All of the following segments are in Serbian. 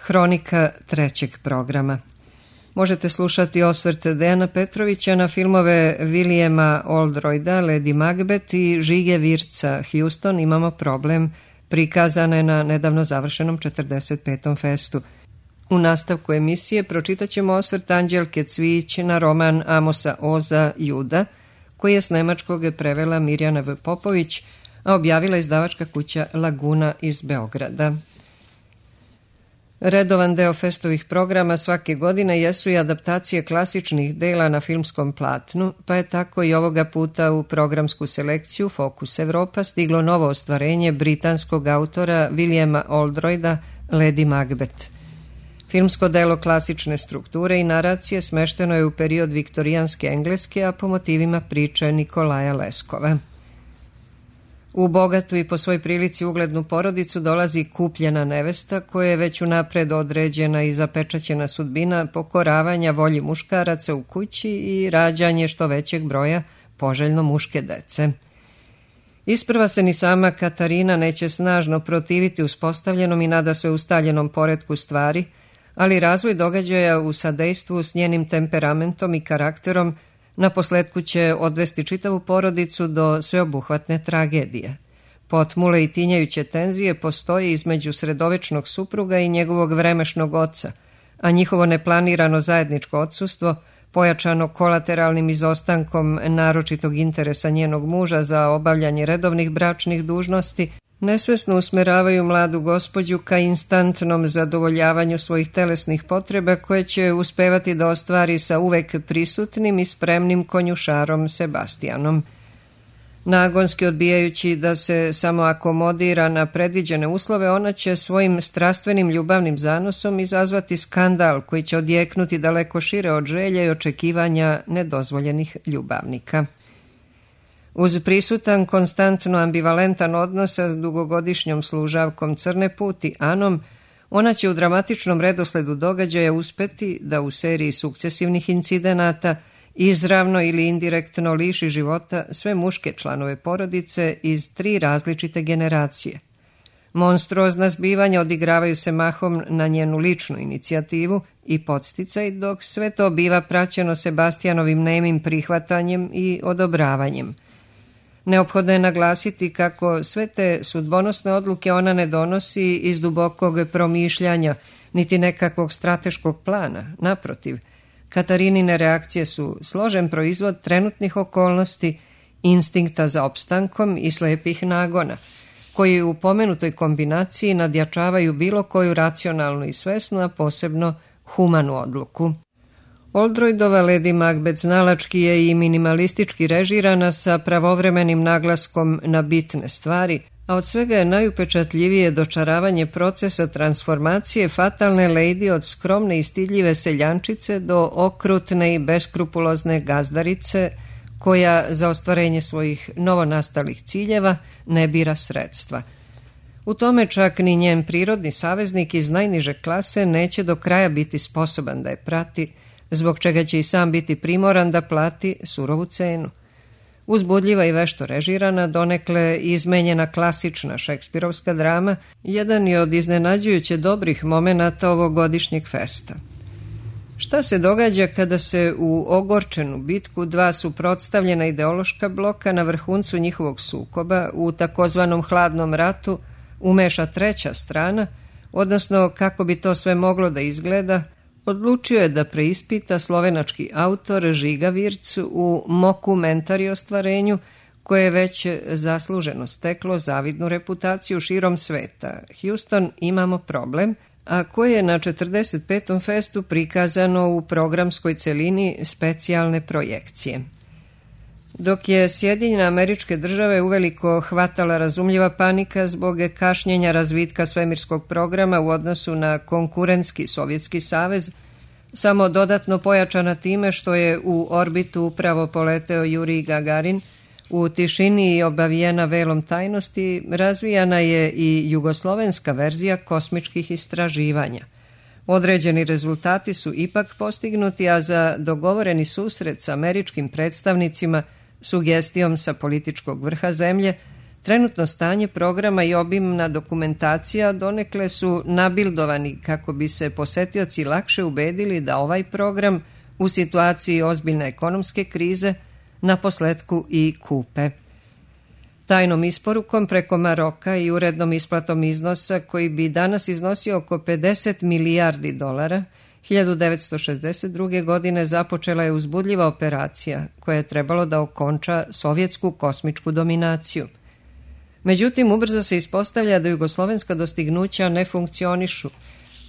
Hronika trećeg programa. Možete slušati osvrt Dejana Petrovića na filmove Williama Oldroyda, Lady Macbeth i Žige Virca, Houston, imamo problem, prikazane na nedavno završenom 45. festu. U nastavku emisije pročitat ćemo osvrt Anđelke Cvijić na roman Amosa Oza Juda, koji je s nemačkog prevela Mirjana V. Popović, a objavila izdavačka kuća Laguna iz Beograda. Redovan deo festovih programa svake godine jesu i adaptacije klasičnih dela na filmskom platnu, pa je tako i ovoga puta u programsku selekciju Fokus Evropa stiglo novo ostvarenje britanskog autora Williama Oldroyda, Lady Macbeth. Filmsko delo klasične strukture i naracije smešteno je u period viktorijanske Engleske, a po motivima priče Nikolaja Leskova. U bogatu i po svoj prilici uglednu porodicu dolazi kupljena nevesta koja je već unapred određena i zapečaćena sudbina pokoravanja volji muškaraca u kući i rađanje što većeg broja poželjno muške dece. Isprva se ni sama Katarina neće snažno protiviti uspostavljenom i nadasve ustaljenom poretku stvari, ali razvoj događaja u sadejstvu s njenim temperamentom i karakterom naposletku će odvesti čitavu porodicu do sveobuhvatne tragedije. Potmule i tinjajuće tenzije postoje između sredovečnog supruga i njegovog vremešnog oca, a njihovo neplanirano zajedničko odsustvo, pojačano kolateralnim izostankom naročitog interesa njenog muža za obavljanje redovnih bračnih dužnosti, nesvesno usmeravaju mladu gospođu ka instantnom zadovoljavanju svojih telesnih potreba koje će uspevati da ostvari sa uvek prisutnim i spremnim konjušarom Sebastijanom. Nagonski odbijajući da se samo akomodira na predviđene uslove, ona će svojim strastvenim ljubavnim zanosom izazvati skandal koji će odjeknuti daleko šire od želja i očekivanja nedozvoljenih ljubavnika. Uz prisutan, konstantno ambivalentan odnos sa dugogodišnjom služavkom Crne puti Anom, ona će u dramatičnom redosledu događaja uspeti da u seriji sukcesivnih incidenata izravno ili indirektno liši života sve muške članove porodice iz 3 različite generacije. Monstruozna zbivanja odigravaju se mahom na njenu ličnu inicijativu i podsticaj, dok sve to biva praćeno Sebastijanovim nemim prihvatanjem i odobravanjem. Neophodno je naglasiti kako sve te sudbonosne odluke ona ne donosi iz dubokog promišljanja, niti nekakvog strateškog plana. Naprotiv, Katarinine reakcije su složen proizvod trenutnih okolnosti, instinkta za opstankom i slepih nagona, koji u pomenutoj kombinaciji nadjačavaju bilo koju racionalnu i svesnu, a posebno humanu odluku. Oldroydova Lady Macbeth znalački je i minimalistički režirana sa pravovremenim naglaskom na bitne stvari, a od svega je najupečatljivije dočaravanje procesa transformacije fatalne lady od skromne i stidljive seljančice do okrutne i beskrupulozne gazdarice koja za ostvarenje svojih novonastalih ciljeva ne bira sredstva. U tome čak ni njen prirodni saveznik iz najniže klase neće do kraja biti sposoban da je prati, zbog čega će i sam biti primoran da plati surovu cenu. Uzbudljiva i vešto režirana, donekle izmenjena klasična šekspirovska drama, jedan je od iznenađujuće dobrih momenata ovogodišnjeg festa. Šta se događa kada se u ogorčenu bitku 2 suprotstavljena ideološka bloka na vrhuncu njihovog sukoba u takozvanom hladnom ratu umeša treća strana, odnosno kako bi to sve moglo da izgleda, odlučio je da preispita slovenački autor Žiga Virc u mokumentari ostvarenju koje je već zasluženo steklo zavidnu reputaciju širom sveta. Houston, imamo problem, a koje je na 45. festu prikazano u programskoj celini specijalne projekcije. Dok je Sjedinjene Američke Države uveliko hvatala razumljiva panika zbog kašnjenja razvitka svemirskog programa u odnosu na konkurentski Sovjetski savez, samo dodatno pojačana time što je u orbitu upravo poleteo Jurij Gagarin, u tišini i obavijena velom tajnosti, razvijana je i jugoslovenska verzija kosmičkih istraživanja. Određeni rezultati su ipak postignuti, a za dogovoreni susret s američkim predstavnicima, sugestijom sa političkog vrha zemlje, Trenutno stanje programa i obimna dokumentacija donekle su nabildovani kako bi se posetioci lakše ubedili da ovaj program u situaciji ozbiljne ekonomske krize naposletku i kupe. Tajnom isporukom preko Maroka i urednom isplatom iznosa koji bi danas iznosio oko 50 milijardi dolara, 1962. godine započela je uzbudljiva operacija koja je trebalo da okonča sovjetsku kosmičku dominaciju. Međutim, ubrzo se ispostavlja da jugoslovenska dostignuća ne funkcionišu,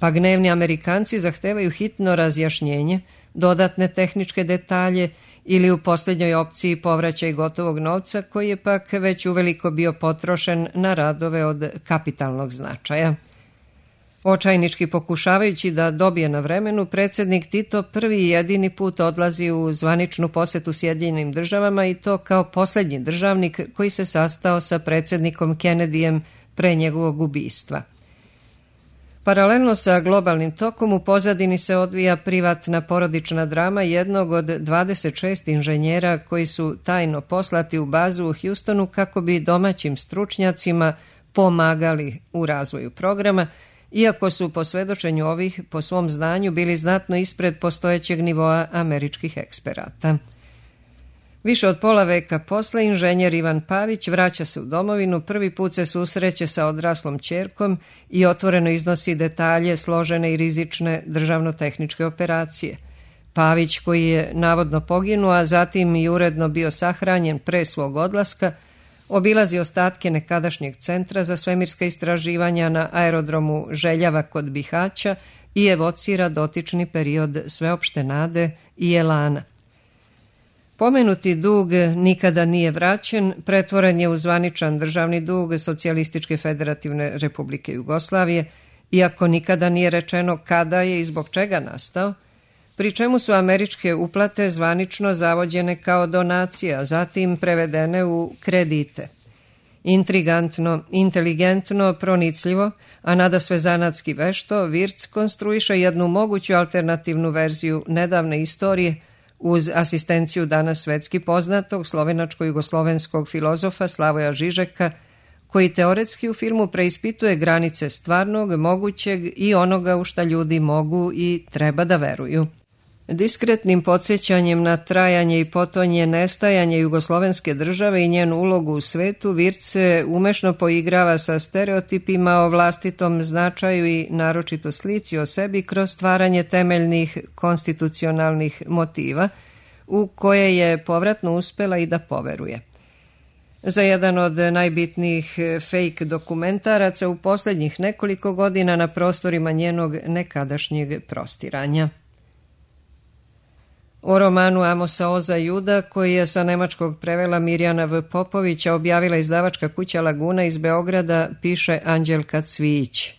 pa gnevni Amerikanci zahtevaju hitno razjašnjenje, dodatne tehničke detalje ili u posljednjoj opciji povraćaj gotovog novca koji je pak već uveliko bio potrošen na radove od kapitalnog značaja. Očajnički pokušavajući da dobije na vremenu, predsjednik Tito prvi i jedini put odlazi u zvaničnu posetu Sjedinjenim državama i to kao posljednji državnik koji se sastao sa predsjednikom Kennedyjem pre njegovog ubistva. Paralelno sa globalnim tokom u pozadini se odvija privatna porodična drama jednog od 26 inženjera koji su tajno poslati u bazu u Houstonu kako bi domaćim stručnjacima pomagali u razvoju programa, iako su po svedočenju ovih po svom znanju bili znatno ispred postojećeg nivoa američkih eksperata. Više od pola veka posle inženjer Ivan Pavić vraća se u domovinu, prvi put se susreće sa odraslom ćerkom i otvoreno iznosi detalje složene i rizične državno-tehničke operacije. Pavić, koji je navodno poginuo, a zatim i uredno bio sahranjen pre svog odlaska, obilazi ostatke nekadašnjeg centra za svemirska istraživanja na aerodromu Željava kod Bihaća i evocira dotični period sveopšte nade i elana. Pomenuti dug nikada nije vraćen, pretvoren je u zvaničan državni dug Socijalističke federativne republike Jugoslavije, iako nikada nije rečeno kada je i zbog čega nastao, pri čemu su američke uplate zvanično zavođene kao donacija, zatim prevedene u kredite. Intrigantno, inteligentno, pronicljivo, a nadasve zanatski vešto, Wirtz konstruiše jednu moguću alternativnu verziju nedavne istorije uz asistenciju danas svetski poznatog slovenačko-jugoslovenskog filozofa Slavoja Žižeka, koji teoretski u filmu preispituje granice stvarnog, mogućeg i onoga u šta ljudi mogu i treba da veruju. Diskretnim podsjećanjem na trajanje i potonje nestajanje jugoslovenske države i njenu ulogu u svetu, Wirtz se umešno poigrava sa stereotipima o vlastitom značaju i naročito slici o sebi kroz stvaranje temeljnih konstitucionalnih motiva u koje je povratno uspela i da poveruje. Za jedan od najbitnijih fake dokumentaraca u posljednjih nekoliko godina na prostorima njenog nekadašnjeg prostiranja. O romanu Amosa Oza Juda, koji je sa nemačkog prevela Mirjana V. Popovića, objavila izdavačka kuća Laguna iz Beograda, piše Anđelka Cvijić.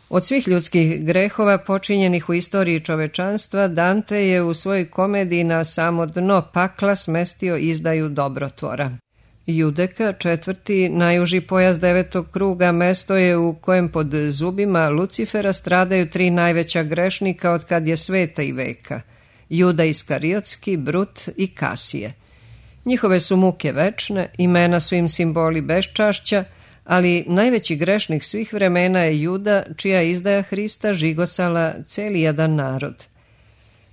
Od svih ljudskih grehova počinjenih u istoriji čovečanstva, Dante je u svojoj komediji na samo dno pakla smestio izdaju dobrotvora. Judeka, četvrti, najuži pojas devetog kruga, mesto je u kojem pod zubima Lucifera stradaju tri najveća grešnika od kad je sveta i veka – Juda Iskariotski, Brut i Kasije. Njihove su muke večne, imena su im simboli beščašća, ali najveći grešnik svih vremena je Juda, čija izdaja Hrista žigosala celi jedan narod.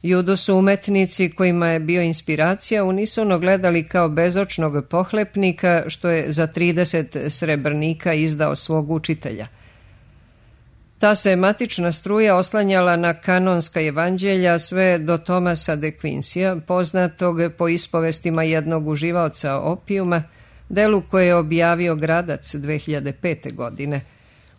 Judu su umetnici kojima je bio inspiracija unisono gledali kao bezočnog pohlepnika što je za 30 srebrnika izdao svog učitelja. Ta se matična struja oslanjala na kanonska evanđelja sve do Tomasa de Quincya, poznatog po ispovestima jednog uživaoca opijuma, delu koje je objavio Gradac 2005. godine.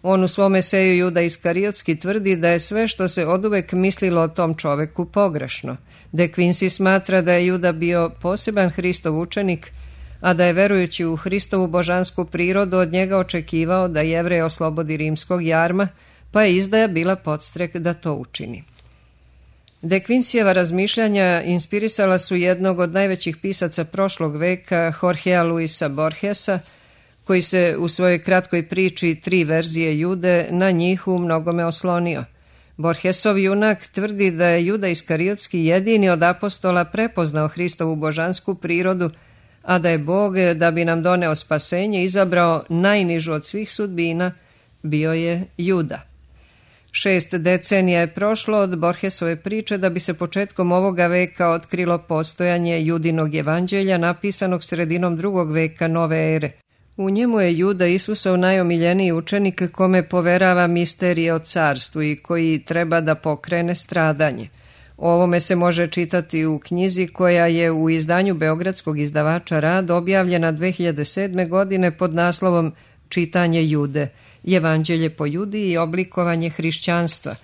On u svom eseju Juda Iskariotski tvrdi da je sve što se oduvek mislilo o tom čoveku pogrešno. De Quincey smatra da je Juda bio poseban Hristov učenik, a da je verujući u Hristovu božansku prirodu od njega očekivao da Jevreje oslobodi rimskog jarma, pa je izdaja bila podstrek da to učini. De Quinceyjeva razmišljanja inspirisala su jednog od najvećih pisaca prošlog veka, Jorgea Luisa Borgesa, koji se u svojoj kratkoj priči Tri verzije Jude na njih u mnogome oslonio. Borgesov junak tvrdi da je Juda Iskariotski jedini od apostola prepoznao Hristovu božansku prirodu, a da je Bog, da bi nam doneo spasenje, izabrao najnižu od svih sudbina, bio je Juda. 6 decenija je prošlo od Borgesove priče da bi se početkom ovoga veka otkrilo postojanje Judinog evanđelja napisanog sredinom 2. veka nove ere. U njemu je Juda Isusov najomiljeniji učenik kome poverava misterije o carstvu i koji treba da pokrene stradanje. O ovome se može čitati u knjizi koja je u izdanju beogradskog izdavača Rad objavljena 2007. godine pod naslovom Čitanje Jude, Evanđelje po Judi i oblikovanje hrišćanstva,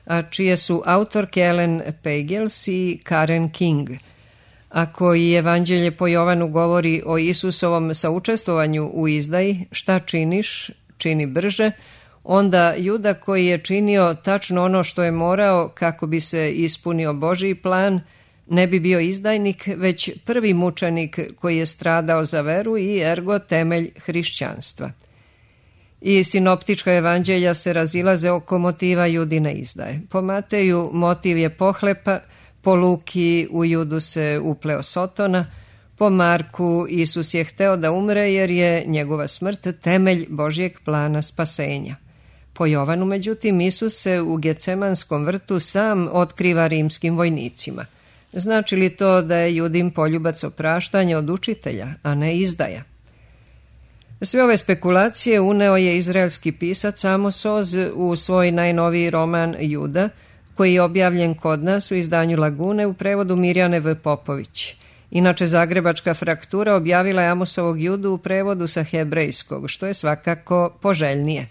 a čije su autorke Ellen Pagels i Karen King. Ako i Evanđelje po Jovanu govori o Isusovom saučestvovanju u izdaji, šta činiš, čini brže, onda Juda koji je činio tačno ono što je morao kako bi se ispunio Božji plan, ne bi bio izdajnik, već prvi mučenik koji je stradao za veru i ergo temelj hrišćanstva. I sinoptička evanđelja se razilaze oko motiva Judine izdaje. Po Mateju motiv je pohlepa, po Luki u Judu se upleo Sotona, po Marku Isus je hteo da umre jer je njegova smrt temelj Božjeg plana spasenja. Po Jovanu, međutim, Isus se u Gecemanskom vrtu sam otkriva rimskim vojnicima. Znači li to da je Judin poljubac opraštanja od učitelja, a ne izdaja? Sve ove spekulacije uneo je izraelski pisac Amos Oz u svoj najnoviji roman Juda, koji je objavljen kod nas u izdanju Lagune u prevodu Mirjane V. Popović. Inače, Zagrebačka fraktura objavila je Amosovog Judu u prevodu sa hebrejskog, što je svakako poželjnije.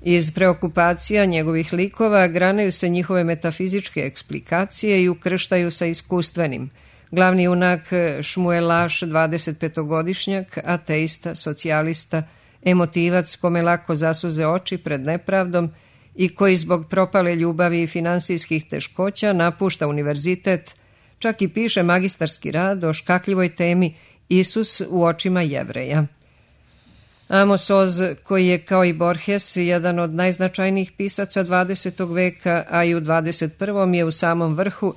Iz preokupacija njegovih likova granaju se njihove metafizičke eksplikacije i ukrštaju sa iskustvenim. Glavni junak Šmuelaš, 25-godišnjak, ateista, socijalista, emotivac kome lako zasuze oči pred nepravdom i koji zbog propale ljubavi i finansijskih teškoća napušta univerzitet, čak i piše magistarski rad o škakljivoj temi Isus u očima Jevreja. Amos Oz, koji je kao i Borges jedan od najznačajnijih pisaca 20. veka, a i u 21. je u samom vrhu,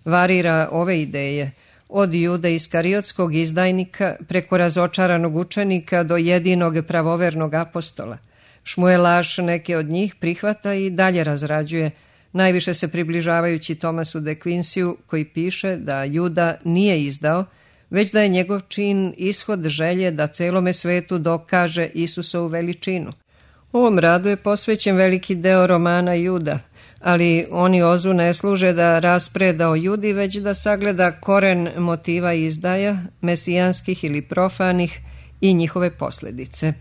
varira ove ideje, od Jude Iskariotskog izdajnika preko razočaranog učenika do jedinog pravovernog apostola. Šmuelaš neke od njih prihvata i dalje razrađuje, najviše se približavajući Tomasu de Quinciju, koji piše da Juda nije izdao, već da je njegov čin ishod želje da celome svetu dokaže Isusovu veličinu. Ovom radu je posvećen veliki deo romana Juda, ali oni Ozu ne služe da raspreda o Judi, već da sagleda koren motiva izdaja, mesijanskih ili profanih, i njihove posljedice.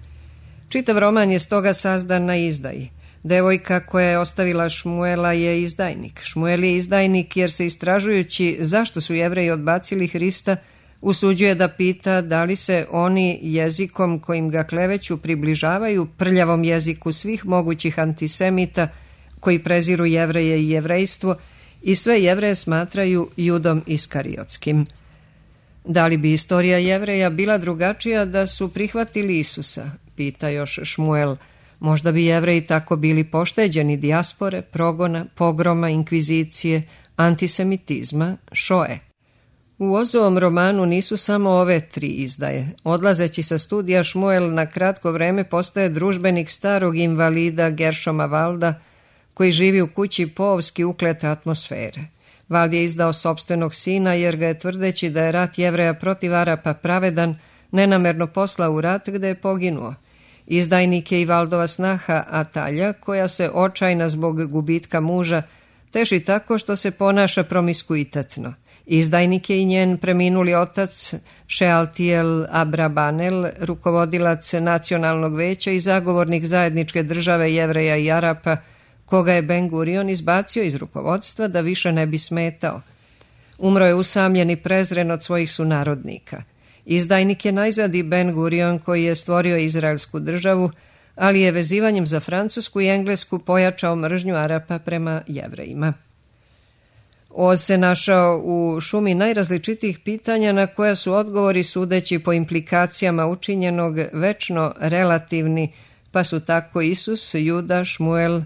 Čitav roman je stoga sazdan na izdaji. Devojka koja je ostavila Šmuela je izdajnik. Šmuel je izdajnik jer se istražujući zašto su Jevreji odbacili Hrista, usuđuje da pita da li se oni jezikom kojim ga kleveću približavaju prljavom jeziku svih mogućih antisemita koji preziru Jevreje i jevrejstvo i sve Jevreje smatraju Judom Iskariotskim. Da li bi istorija Jevreja bila drugačija da su prihvatili Isusa, pita još Šmuel. Možda bi Jevreji tako bili pošteđeni dijaspore, progona, pogroma, inkvizicije, antisemitizma, šoe. U Ozovom romanu nisu samo ove 3 izdaje. Odlazeći sa studija, Šmuel na kratko vreme postaje družbenik starog invalida Geršoma Valda, koji živi u kući povski uklete atmosfere. Vald je izdao sopstvenog sina jer ga je, tvrdeći da je rat Jevreja protiv Arapa pravedan, nenamerno poslao u rat gde je poginuo. Izdajnik je i Valdova snaha Atalja, koja se očajna zbog gubitka muža teši tako što se ponaša promiskuitetno. Izdajnik je i njen preminuli otac Šealtiel Abrabanel, rukovodilac nacionalnog veća i zagovornik zajedničke države Jevreja i Arapa, koga je Ben Gurion izbacio iz rukovodstva da više ne bi smetao. Umro je usamljen i prezren od svojih sunarodnika. Izdajnik je najzad i Ben Gurion, koji je stvorio izraelsku državu, ali je vezivanjem za Francusku i Englesku pojačao mržnju Arapa prema Jevrejima. Oz se našao u šumi najrazličitijih pitanja na koja su odgovori, sudeći po implikacijama učinjenog, večno relativni, pa su tako Isus, Juda, Šmuel,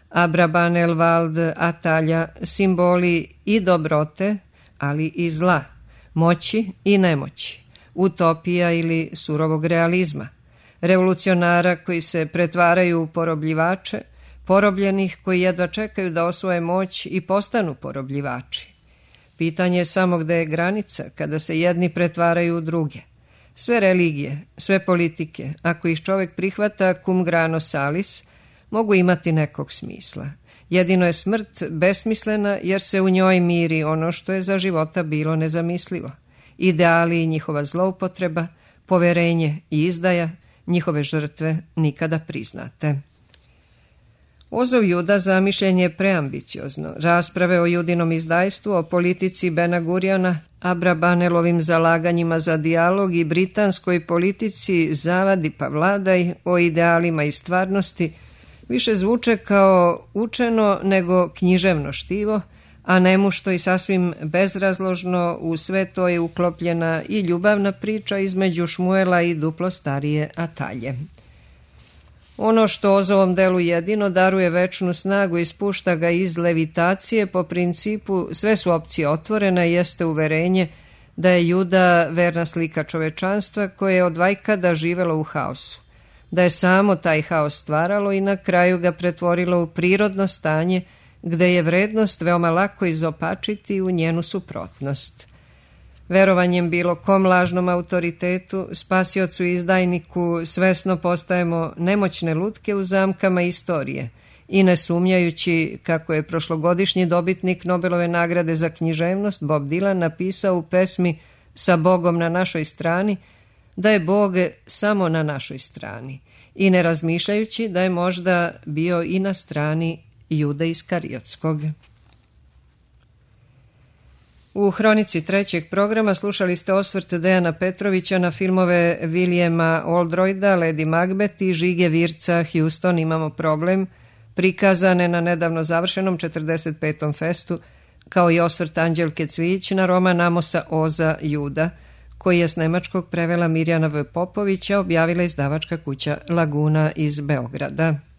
Abrabanel, Vald, Atalja simboli i dobrote, ali i zla, moći i nemoći, utopija ili surovog realizma, revolucionara koji se pretvaraju u porobljivače, porobljenih koji jedva čekaju da osvoje moć i postanu porobljivači. Pitanje je samo gde je granica kada se jedni pretvaraju u druge. Sve religije, sve politike, ako ih čovjek prihvata cum grano salis, mogu imati nekog smisla. Jedino je smrt besmislena jer se u njoj miri ono što je za života bilo nezamislivo. Ideali i njihova zloupotreba, poverenje i izdaja, njihove žrtve nikada priznate. Ozov Juda zamišljen je preambiciozno. Rasprave o Judinom izdajstvu, o politici Bena Gurjana, Abrabanelovim zalaganjima za dijalog i britanskoj politici zavadi pa vladaj, o idealima i stvarnosti, više zvuče kao učeno nego književno štivo, a nemušto i sasvim bezrazložno u sve to je uklopljena i ljubavna priča između Šmuela i duplo starije Atalje. Ono što Ozovom delu jedino daruje večnu snagu i spušta ga iz levitacije po principu sve su opcije otvorene jeste uverenje da je Juda verna slika čovečanstva koje je od vajkada živelo u haosu, da je samo taj haos stvaralo i na kraju ga pretvorilo u prirodno stanje gde je vrednost veoma lako izopačiti u njenu suprotnost. Verovanjem bilo kom lažnom autoritetu, spasiocu i izdajniku svesno postajemo nemoćne lutke u zamkama istorije i ne sumnjajući kako je prošlogodišnji dobitnik Nobelove nagrade za književnost Bob Dylan napisao u pesmi Sa Bogom na našoj strani, da je Bog samo na našoj strani i ne razmišljajući da je možda bio i na strani Jude Iskariotskog. U hronici trećeg programa slušali ste osvrt Dejana Petrovića na filmove Williama Oldroyda, Lady Macbeth i Žige Virca Houston Imamo problem, prikazane na nedavno završenom 45. festu, kao i osvrt Anđelke Cvijić na roman Amosa Oza Juda, koji je s nemačkog prevela Mirjana V. Popovića, objavila izdavačka kuća Laguna iz Beograda.